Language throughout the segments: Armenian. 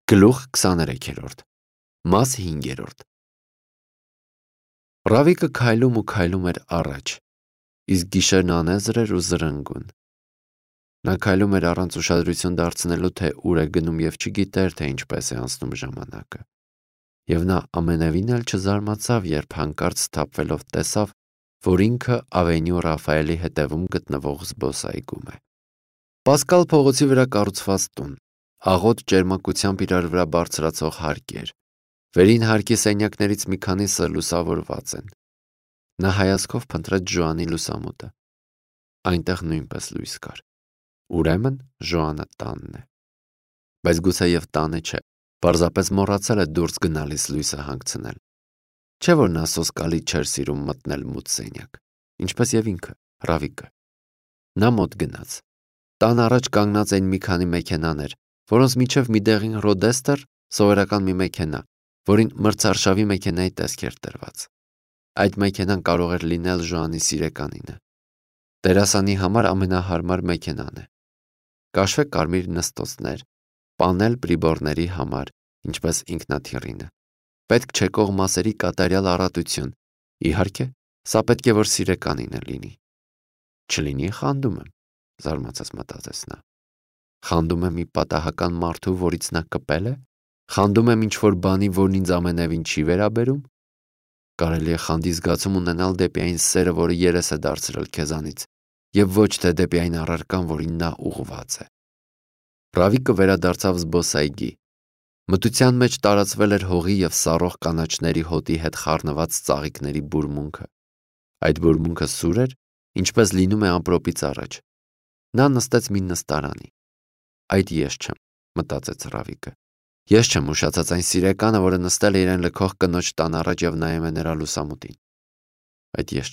Գլուխ 23-րդ, մաս 5-րդ։ Ռավիկը քայլում ու քայլում էր առաջ, իսկ գիշերն անեզր էր ու զրնգուն։ Նա քայլում էր առանց ուշադրություն դարձնելու, թե ուր է գնում և չգիտեր, թե ինչպես է անցնում ժամանակը։ Եվ նա ամենևին էլ չզարմացավ, երբ հանկարծ սթափվելով տեսավ, որ ինքը Ավենյու Ռաֆայելի հետևում գտնվող զբոսայգում է։ Պասկալ փողոցի վրա կառուցված տուն, աղոտ ճերմակությամբ իրար վրա բարձրացող հարկ էր։ Վերին հարկի սենյակներից մի քանիսը լուսավորված են։ Նա հայացքով փնտրեց Ժոանի լուսամուտը։ Այնտեղ նույնպես լույս կար։ Ուրեմն Ժոանը տանն է։ Բայց գուցեև տանը չէ, պարզապես մոռացել է դուրս գնալիս լույսը հանգցնել։ Չէ՞ որ նա սոսկալի չէր սիրում մտնել մութ սենյակ, ինչպես և ինքը, Ռավիկը։ Նա մոտ գնաց։ Տան առաջ կանգնած էին մի քանի մեքենաներ, որոնց միջև մի դեղին ռոդեստեր, սովորական մի մեքենա, որին մրցարշավի մեքենայի տեսք էր տրված։ Այդ մեքենան կարող էր լինել Ժոանի սիրեկանինը։ Դերասանի համար ամենահարմար մեքենան է։ Կաշվե կարմիր նստոցներ, պանել պրիբորների համար, ինչպես ինքնաթիռինը։ Պետք չեկող մասերի կատարյալ առատություն։ Իհարկե, սա պետք է որ սիրեկանինը լինի։ Չլինի խանդում եմ, զարմացած մտածեց նա։ Խանդում եմ մի պատահական մարդու, որից նա կպել է։ Խանդում եմ ինչ-որ բանի, որն ինձ ամենևին չի վերաբերում։ Կարելի է խանդի զգացում ունենալ դեպի այն սերը, որը երես է դարձրել քեզանից, և ոչ թե դեպի այն առարկան, որին նա ուղղված է։ Ռավիկը վերադարձավ զբոսայգի։ Մթության մեջ տարածվել էր հողի և սառող կանաչների հոտի հետ խառնված ծաղիկների բուրմունքը։ Այդ բուրմունքը սուր էր, ինչպես լինում է ամպրոպից առաջ։ Նա նստեց մի նստարանի։ Այդ ես չեմ, մտածեց Ռավիկը։ Ես չեմ ուշացած այն սիրեկանը, որը նստել է իրեն լքող կնոջ տան առաջ և նայում է նրա լուսամուտին։ Այդ ես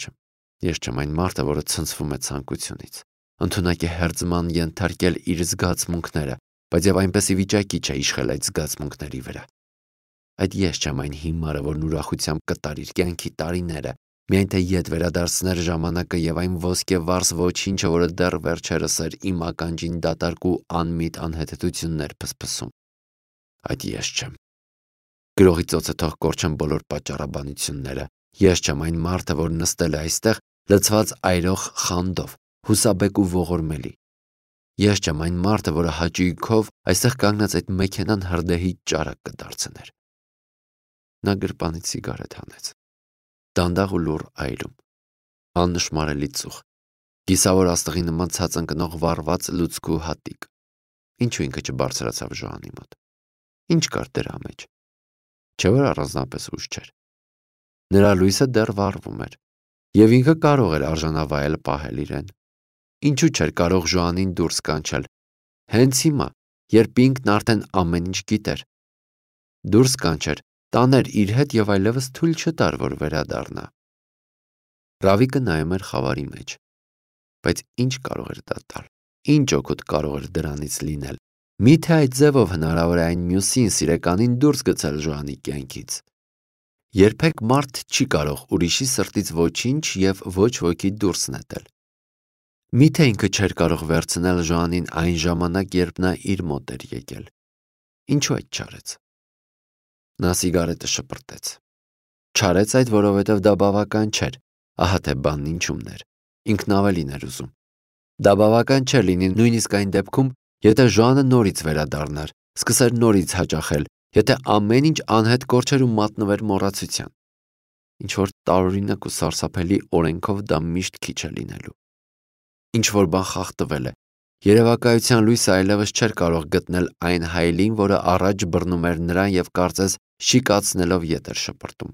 չեմ այն մարդը, որը ցնցվում է ցանկությունից, ընդունակ է հերձման ենթարկել իր զգացմունքները, բայց և այնպես ի վիճակի չէ իշխել այդ զգացմունքների վրա։ Այդ ես չեմ այն հիմարը, որն ուրախությամբ կտար իր կյանքի տարիները, միայն թե ետ վերադարձներ ժամանակը և այն ոսկե վառս ոչինչը, որը դեռ վերջերս էր իմ ականջին դատարկ ու անմիտ անհետացություններ փսփսում։ Այդ ես չեմ։ Գրողի ծոցը թող կորչեն բոլոր պատճառաբանությունները։ Ես չեմ այն մարդը, որ նստել է այստեղ լցված այրող խանդով, հուսաբեկ ու ողորմելի։ Ես չեմ այն մարդը, որը հաճույքով այստեղ կանգնած այդ մեքենան հրդեհի ճարակ կդարձներ։ Նա գրպանից սիգարետ հանեց։ Դանդաղ ու լուռ այրում։ Աննշմարելի ծուխ։ Կիսավոր աստղի նման ցած ընկնող վառված լուցկու հատիկ։ Ինչու ինքը չբարձրացավ Ժոանի մոտ։ Ինչ կար դրա մեջ։ Չէ՞ որ առանձնապես ուշ չէր։ Նրա լույսը դեռ վառվում էր, և ինքը կարող էր արժանավայել պահել իրեն։ Ինչու չէր կարող Ժոանին դուրս կանչել։ Հենց հիմա, երբ ինքն արդեն ամեն ինչ գիտեր։ Դուրս կանչեր, տաներ իր հետ և այլևս թույլ չտար, որ վերադառնա։ Ռավիկը նայում էր խավարի մեջ։ Բայց ինչ կարող էր դա տալ։ Ինչ օգուտ կարող էր դրանից լինել։ Միթե այդ ձևով հնարավոր է այն մյուսին սիրեկանին դուրս գցել Ժոանի կյանքից։ Երբեք մարդ չի կարող ուրիշի սրտից ոչինչ և ոչ ոքի դուրս նետել։ Միթե ինքը չէր կարող վերցնել Ժոանին այն ժամանակ, երբ նա իր մոտ էր եկել։ Ինչու այդ չարեց։ Նա սիգարետը շպրտեց։ Չարեց այդ, որովհետև դա բավական չէր։ Ահա թե բանն ինչումն էր։ Ինքն ավելին էր ուզում։ Դա բավական չէր լինի նույնիսկ այն դեպքում, եթե Ժոանը նորից վերադառնար, սկսեր նորից հաճախել, եթե ամեն ինչ անհետ կորչեր ու մատնվեր մոռացության։ Ինչ-որ տարօրինակ ու սարսափելի օրենքով դա միշտ քիչ է լինելու։ Ինչ-որ բան խախտվել է։ Երևակայության լույսը այլևս չէր կարող գտնել այն հայելին, որը առաջ բռնում էր նրան և կարծես շիկացնելով ետ էր շպրտում։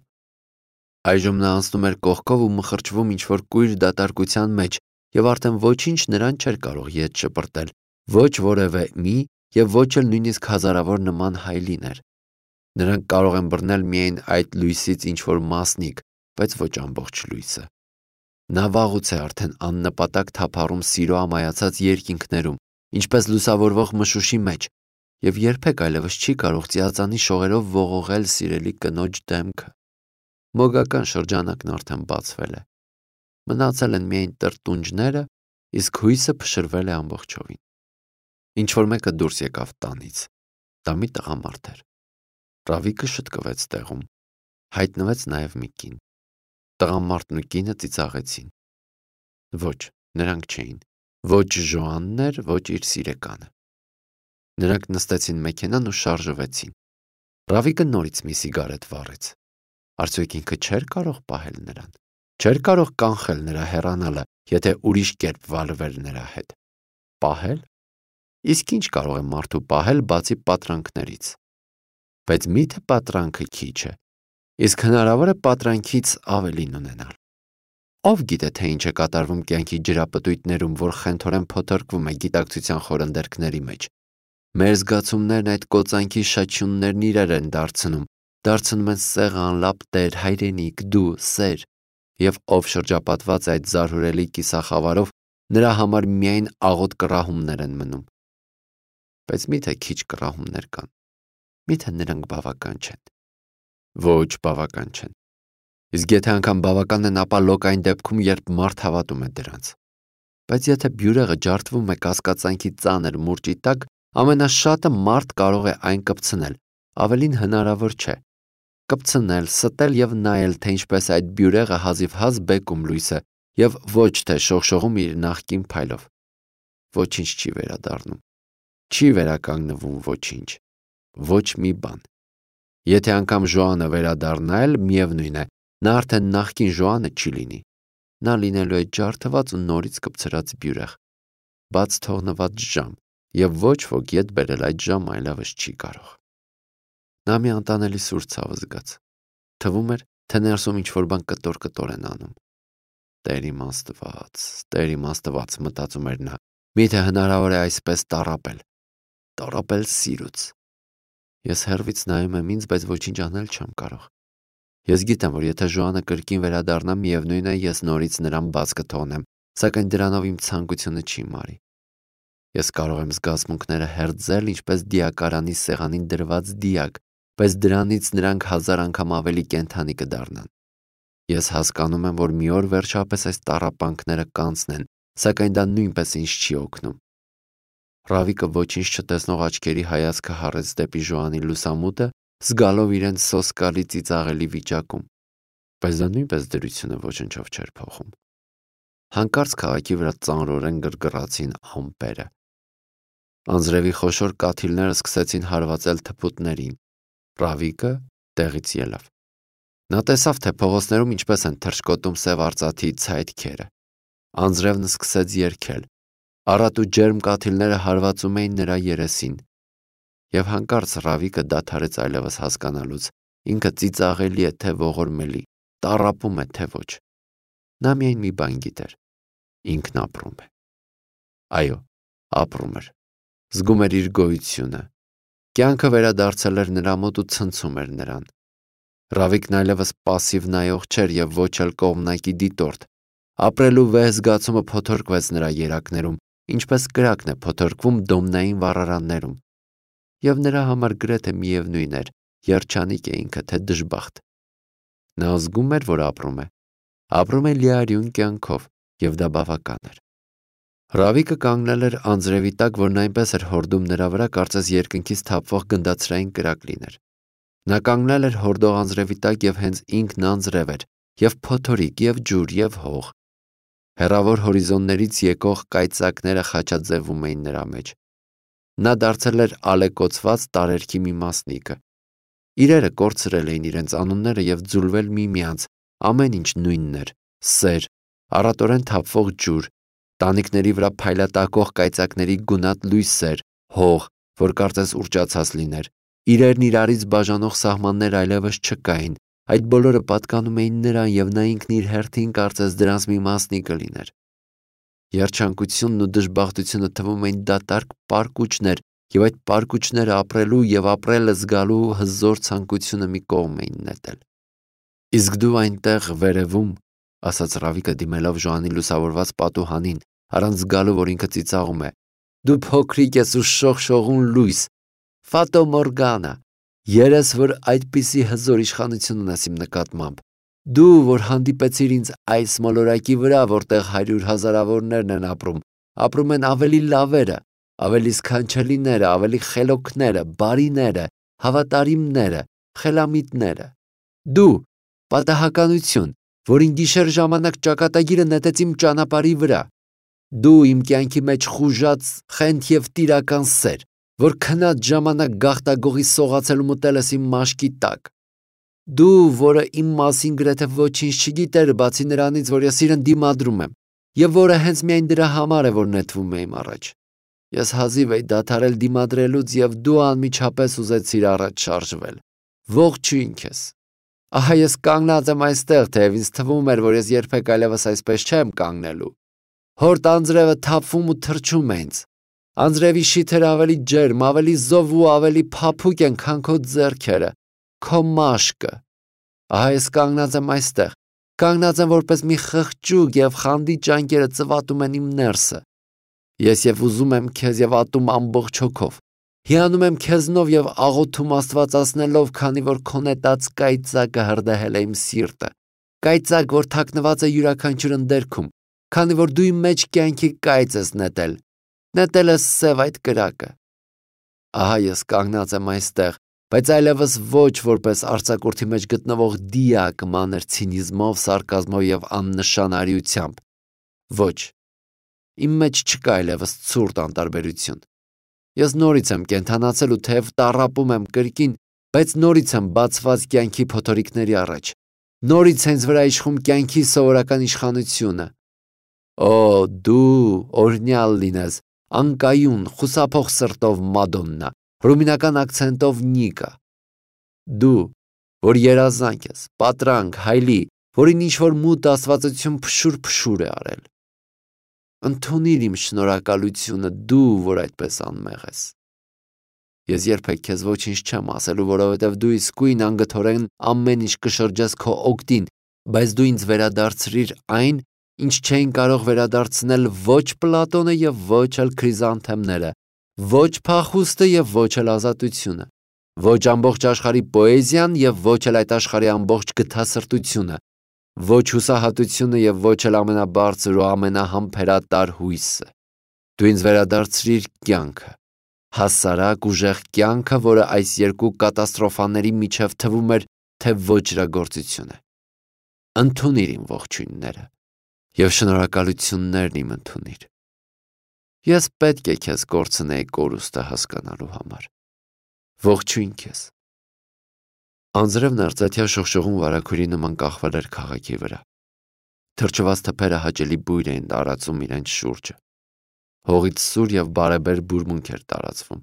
Այժմ նա անցնում էր կողքով ու մխրճվում ինչ-որ կույր դատարկության մեջ, և արդեն ոչինչ նրան չէր կարող ետ շպրտել, ոչ որևէ մի և ոչ էլ նույնիսկ հազարավոր նման հայելիներ։ Նրանք կարող են բռնել միայն այդ լույսից ինչ-որ մասնիկ, բայց ոչ ամբողջ լույսը։ Նա վաղուց է արդեն աննպատակ թափառում սիրո ամայացած երկինքներում, ինչպես լուսավորվող մշուշի մեջ, և երբեք այլևս չի կարող ծիածանի շողերով ողողել սիրելի կնոջ դեմքը։ Մոգական շրջանակն արդեն բացվել է։ Մնացել են միայն տրտունջները, իսկ հույսը փշրվել է ամբողջովին։ Ինչ-որ մեկը դուրս եկավ տանից։ Դա մի տղամարդ էր։ Ռավիկը շտկվեց տեղում, հայտնվեց նաև մի կին։ Տղամարդն ու կինը ծիծաղեցին։ Ոչ, նրանք չէին։ Ոչ Ժոանն էր, ոչ իր սիրեկանը։ Նրանք նստեցին մեքենան ու շարժվեցին։ Ռավիկը նորից մի սիգարետ վառեց։ Արդյոք ինքը չէր կարող պահել նրան։ Չէր կարող կանխել նրա հեռանալը, եթե ուրիշ կերպ վարվեր նրա հետ։ Պահել։ Իսկ ինչ կարող է մարդու պահել բացի պատրանքներից։ Բայց միթե պատրանքը քիչ է, իսկ հնարավոր է պատրանքից ավելին ունենալ։ Ով գիտե, թե ինչ է կատարվում կյանքի ջրապտույտներում, որ խենթորեն փոթորկվում է գիտակցության խորնդերքների մեջ։ Մեր զգացումներն այդ կոծանքի շաչյուններն իրար են դարձնում են սեղան, լապտեր, հայրենիք, դու, սեր, և ով շրջապատված է այդ զարհուրելի կիսախավարով, նրա համար միայն աղոտ կռահումներ են մնում։ Բայց միթե քիչ կռահումներ կան։ Միթե նրանք բավական չեն։ Ոչ, բավական չեն։ Իսկ եթե անգամ բավական են, ապա լոկ այն դեպքում, երբ մարդ հավատում է դրանց։ Բայց եթե բյուրեղը ջարդվում է կասկածանքի ծանր մուրճի տակ, ամենաշատը մարդ կարող է այն կպցնել, ավելին հնարավոր չէ։ Կպցնել, ստել և նայել, թե ինչպես այդ բյուրեղը հազիվհազ բեկում լույս է և ոչ թե շողշողում իր նախկին փայլով։ Ոչինչ չի վերադառնում։ Չի վերականգնվում ոչինչ։ Ոչ մի բան։ Եթե անգամ Ժոանը վերադառնա էլ, միևնույն է, նա արդեն նախկին Ժոանը չի լինի։ Նա լինելու է ջարդված ու նորից կպցրած բյուրեղ, բաց թողնված ժամ, և ոչ ոք ետ բերել այդ ժամը այլևս չի կարող։ Նա մի անտանելի սուր ցավ զգաց։ Թվում էր, թե ներսում ինչ-որ բան կտոր-կտոր են անում։ Տեր իմ Աստված, մտածում էր նա, միթե հնարավոր է այսպես տառապել սիրուց։ Ես հեռվից նայում եմ ինձ, բայց ոչինչ անել չեմ կարող։ Ես գիտեմ, որ եթե Ժոանը կրկին վերադառնա, միևնույն է, ես նորից նրան բաց կթողնեմ, սակայն դրանով իմ ցանկությունը չի մարի։ Ես կարող եմ զգացմունքները հերձել, ինչպես դիակարանի սեղանին դրված դիակ, բայց դրանից նրանք 1000 անգամ ավելի կենդանի կդառնան։ Ես հասկանում եմ, որ մի օր վերջապես այս տառապանքները կանցնեն, սակայն դա նույնպես ինձ չի օգնում։ Ռավիկը ոչինչ չտեսնող աչքերի հայացքը հառեց դեպի Ժոանի լուսամուտը, զգալով իրեն սոսկալի ծիծաղելի վիճակում, բայց դա նույնպես դրությունը ոչնչով չէր փոխում։ Հանկարծ քաղաքի վրա ծանրորեն գրգռացին ամպերը։ Անձրևի խոշոր կաթիլները սկսեցին հարվածել թփուտներին։ Ռավիկը տեղից ելավ։ Նա տեսավ, թե փողոցներում ինչպես են թռչկոտում սև արծաթի ցայտքերը։ Անձրևն սկսեց երգել։ Առատ ու ջերմ կաթիլները հարվածում էին նրա երեսին։ Եվ հանկարծ Ռավիկը դադարեց այլևս հասկանալուց, ինքը ծիծաղելի է, թե ողորմելի, տառապում է, թե ոչ։ Նա միայն մի բան գիտեր. ինքն ապրում է։ Այո, ապրում էր։ Զգում էր իր գոյությունը։ Կյանքը վերադարձել էր նրա մոտ ու ցնցում էր նրան։ Ռավիկն այլևս պասիվ նայող չէր և ոչ էլ կողմնակի դիտորդ։ Ապրելու վեհ զգացումը փոթորկվեց նրա երակներում, ինչպես կրակն է փոթորկվում դոմնային վառարաններում։ Եվ նրա համար գրեթե միևնույն էր, երջանիկ է ինքը, թե դժբախտ։ Նա զգում էր, որ ապրում է լիարյուն կյանքով, և դա բավական էր։ Ռավիկը կանգնել էր անձրևի տակ, որն այնպես էր հորդում նրա վրա, կարծես երկնքից թափվող գնդացրային կրակ լիներ։ Նա կանգնել էր հորդող անձրևի տակ և հենց ինքն անձրև էր, և փոթորիկ, և ջուր, և հող։ Հեռավոր հորիզոններից եկող կայծակները խաչաձևում էին նրա մեջ։ Նա դարձել էր ալեկոծված տարերքի մի մասնիկը։ Իրերը կորցրել էին իրենց անունները և ձուլվել միմյանց, ամեն ինչ նույնն էր՝ սեր, առատորեն թափվող ջուր, տանիքների վրա փայլատակող կայծակների գունատ լույսեր, հող, որ կարծես ուռճացած լիներ։ Իրերն իրարից բաժանող սահմաններ այլևս չկային, այդ բոլորը պատկանում էին նրան, և նա ինքն իր հերթին կարծես դրանց մի մասնիկը լիներ։ Երջանկությունն ու դժբախտությունը թվում էին դատարկ պարկուճներ, և այդ պարկուճները ապրելու և ապրելը զգալու հզոր ցանկությունը մի կողմ էին նետել։ Իսկ դու այնտեղ վերևում, ասաց Ռավիկը դիմելով Ժոանի լուսավորված պատուհանին, առանց զգալու, որ ինքը ծիծաղում է, դու փոքրիկ ես ու շողշողուն լույս, Ֆատո Մորգանա, երես, որ այդպիսի հզոր իշխանություն ունես իմ նկատմամբ, դու, որ հանդիպեցիր ինձ այս մոլորակի վրա, որտեղ 100 հազարավորներն են ապրում են ավելի լավերը, ավելի սքանչելիները, ավելի խելոքները, բարիները, հավատարիմները, խելամիտները։ Դու, պատահականություն, որին գիշեր ժամանակ ճակատագիրը նետեց իմ ճանապարհի վրա։ Դու իմ կյանքի մեջ խուժած խենթ և տիրական սեր, որ քնած ժամանակ գաղտագողի սողացել ու մտել ես իմ մաշկի տակ։ Դու, որը իմ մասին գրեթե ոչինչ չգիտեր, բացի նրանից, որ ես իրեն դիմադրում եմ, և որը հենց միայն դրա համար է, որ նետվում է իմ առաջ։ Ես հազիվ էի դադարել դիմադրելուց, և դու անմիջապես ուզեցիր առաջ շարժվել։ Ողջույն քեզ։ Ահա ես կանգնած եմ այստեղ, թեև ինձ թվում էր, որ ես երբեք այլևս այսպես չեմ կանգնելու։ Հորդ անձրևը թափվում ու թրջում է ինձ։ Անձրևի շիթերը ավելի ջերմ, ավելի զով ու ավելի փափուկ են, քան քո ձեռքերը, քո մաշկը։ Ահա ես կանգնած եմ այստեղ, կանգնած եմ որպես մի խղճուկ, և խանդի ճանկերը ծվատում են իմ ներսը։ Ես և ուզում եմ քեզ և ատում ամբողջ հոգով։ Հիանում եմ քեզնով և աղոթում աստվածացնելով, քանի որ քո նետած կայծակը հրդեհել է իմ սիրտը։ Կայծակ, որ թաքնված է յուրաքանչյուր ընդերքում, քանի որ դու իմ մեջ կյանքի կայծ ես նետել։ Նետել ես սև այդ կրակը։ Ահա ես կանգնած եմ այստեղ, բայց այլևս ոչ որպես արձակուրդի մեջ գտնվող դիակ մանր ցինիզմով, սարկազմով և աննշան արիությամբ։ Ոչ, իմ մեջ չկա այլևս ցուրտ անտարբերություն։ Ես նորից եմ կենդանացել ու թեև տառապում եմ կրկին, բայց նորից եմ բացված կյանքի փոթորիկների առաջ։ Նորից հենց վրա իշխում կյանքի սովորական իշխանությունը։ Օ, դու, օրհնյալ լինես, անկայուն, խուսափող սրտով Մադոննա, ռումինական ակցենտով Նիկա։ Դու, որ երազանք ես, պատրանք, հայլի, որին ինչ-որ մութ աստվածություն փշուր-փշուր է արել։ Ընդունիր իմ շնորհակալությունը, դու, որ այդպես անմեղ ես։ Ես երբեք քեզ ոչինչ չեմ ասելու, որովհետև դու իսկույն անգթորեն ամեն ինչ կշրջես քո օգտին, բայց դու ինձ վերադարձրիր այն, ինչ չէին կարող վերադարձնել ոչ Պլատոնը և ոչ էլ քրիզանթեմները, ոչ փախուստը և ոչ էլ ազատությունը, ոչ ամբողջ աշխարհի պոեզիան և ոչ էլ այդ աշխարհի ամբողջ գթասրտությունը, ոչ հուսահատությունը և ոչ էլ ամենաբարձր ու ամենահամբերատար հույսը։ Դու ինձ վերադարձրիր կյանքը, հասարակ ուժեղ կյանքը, որը այս երկու կատաստրոֆաների միջև թվում էր, թե ոճրագործություն է։ Ընդունիր իմ ողջույնները և շնորհակալություններն իմ ընդունիր։ Ես պետք է քեզ կորցնեի կորուստը հասկանալու համար։ Ողջույն քեզ։ Անձրևն արծաթյա շողշողուն վարագույրի նման կախվել էր քաղաքի վրա։ Թրջված թփերը հաճելի բույր էին տարածում իրենց շուրջը։ Հողից սուր և բարեբեր բուրմունք էր տարածվում։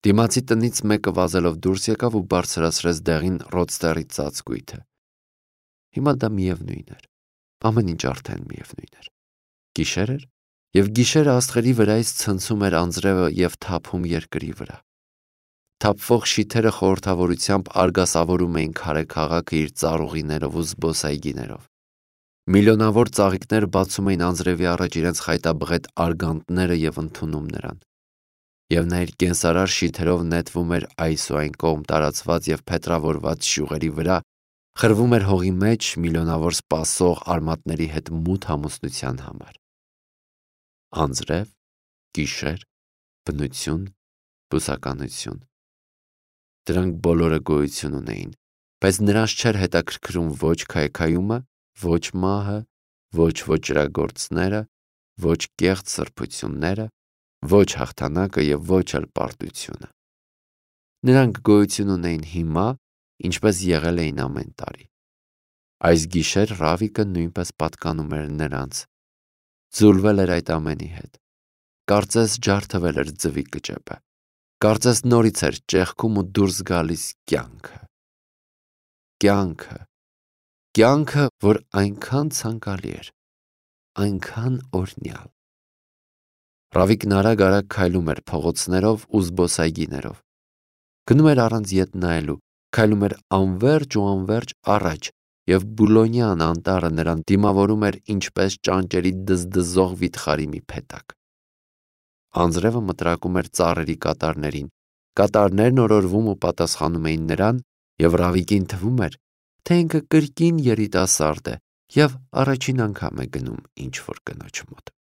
Դիմացի տնից մեկը վազելով դուրս եկավ ու բարձրացրեց դեղին ռոդստերի ծածկույթը։ Հիմա դա միևնույն էր։ Ամեն ինչ արդեն միևնույն էր։ Գիշեր էր, և գիշերը աստղերի վրայից ցնցում էր անձրևը և թափում երկրի վրա։ Թափվող շիթերը խորհրդավորությամբ արգասավորում էին քարե քաղաքը իր ծառուղիներով ու զբոսայգիներով։ Միլիոնավոր ծաղիկներ բացում էին անձրևի առաջ իրենց խայտաբղետ արգանդները և ընդունում նրան։ Եվ նա իր կենսարար շիթերով նետվում էր այս ու այն կողմ տարածված և փետրավորված շյուղերի վրա, խրվում էր հողի մեջ միլիոնավոր սպասող արմատների հետ մութ ամուսնության համար։ Անձրև, գիշեր, բնություն, բուսականություն։ Դրանք բոլորը գոյություն ունեին, բայց նրանց չէր հետաքրքրում ոչ քայքայումը, ոչ մահը, ոչ ոճրագործները, ոչ կեղծ սրբությունները, ոչ հաղթանակը և ոչ էլ պարտությունը։ Նրանք գոյություն ունեին հիմա, ինչպես եղել էին ամեն տարի։ Այս գիշեր Ռավիկը նույնպես պատկանում էր նրանց, ձուլվել էր այդ ամենի հետ։ Կարծես ջարդվել էր ձվի կճեպը։ Կարծես նորից էր ճեղքում ու դուրս գալիս կյանքը։ Կյանքը, որ այնքան ցանկալի էր, այնքան օրհնյալ։ Ռավիկն արագ-արագ քայլում էր փողոցներով ու զբոսայգիներով։ Գնում էր առանց ետ նայելու, քայլում էր անվերջ ու անվերջ առաջ, և Բուլոնյան անտառը նրան դիմավորում էր ինչպես ճանճերի դզդզող վիթխարի մի փեթակ։ Անձրևը մտրակում էր ծառերի կատարներին, կատարներն օրորվում ու պատասխանում էին նրան, և Ռավիկին թվում էր, թե ինքը կրկին երիտասարդ է և առաջին անգամ է գնում ինչ-որ կնոջ մոտ։